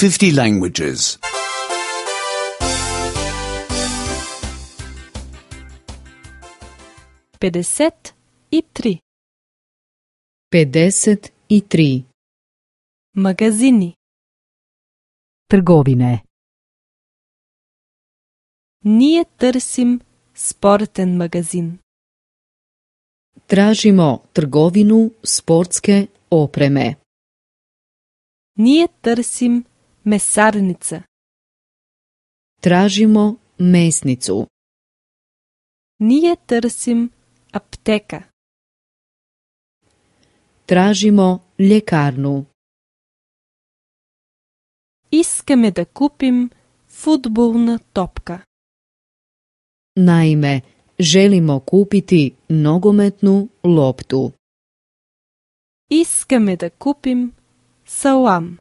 50 languages. 53. 53. Magazini. Trgovine. Ние търсим спортен магазин. Tražimo trgovinu sportske opreme. Ние търсим месарница. Tražimo mesnicu. Ние търсим аптека. Tražimo ljekarnu. Искаме да купим фудбална топка. Naime, želimo kupiti nogometnu loptu. Искаме да купим салам.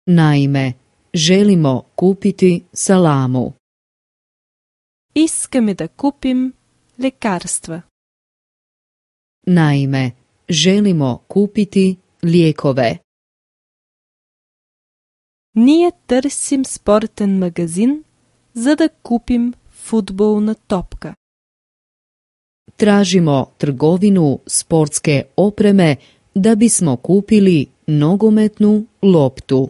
Naime, želimo kupiti salamu. Искаме да купим лекарства. Naime, želimo kupiti lijekove. Ние търсим спортен магазин, за да купим фудбална топка. Tražimo trgovinu sportske opreme da bismo kupili nogometnu loptu.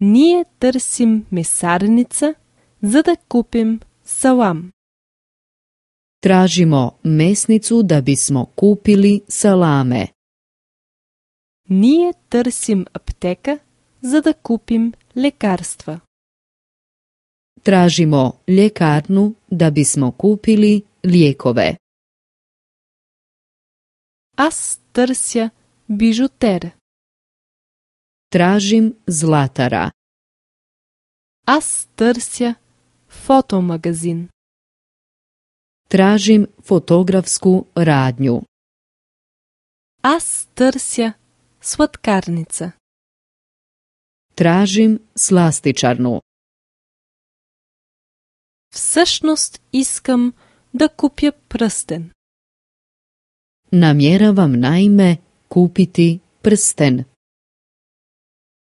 Ние търсим месарница, за да купим салам. Tražimo mesnicu da bismo kupili salame. Ние търсим аптека, за да купим лекарства. Tražimo ljekarnu da bismo kupili lijekove. Аз търся бижутер. Tražim zlatara. Аз търся фотомагазин. Tražim fotografsku radnju. Аз търся сладкарница. Tražim slastičarnu. Всъщност искам да купя пръстен. Namjeravam naime kupiti prsten.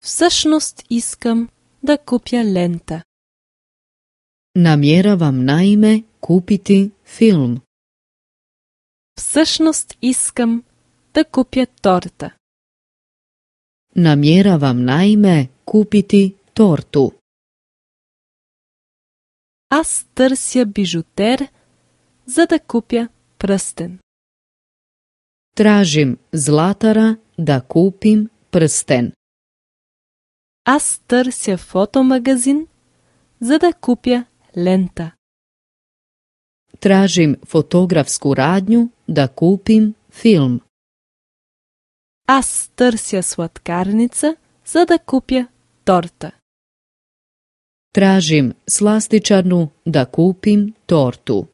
Всъщност искам да купя лента. Namjeravam naime kupiti film. Всъщност искам да купя торта. Namjeravam naime kupiti tortu. Аз търся бижутер, за да купя пръстен. Tražim zlatara da kupim prsten. Аз търся фотомагазин, за да купя лента. Tražim fotografsku radnju da kupim film. Аз търся сладкарница, за да купя торта. Tražim slastičarnu da kupim tortu.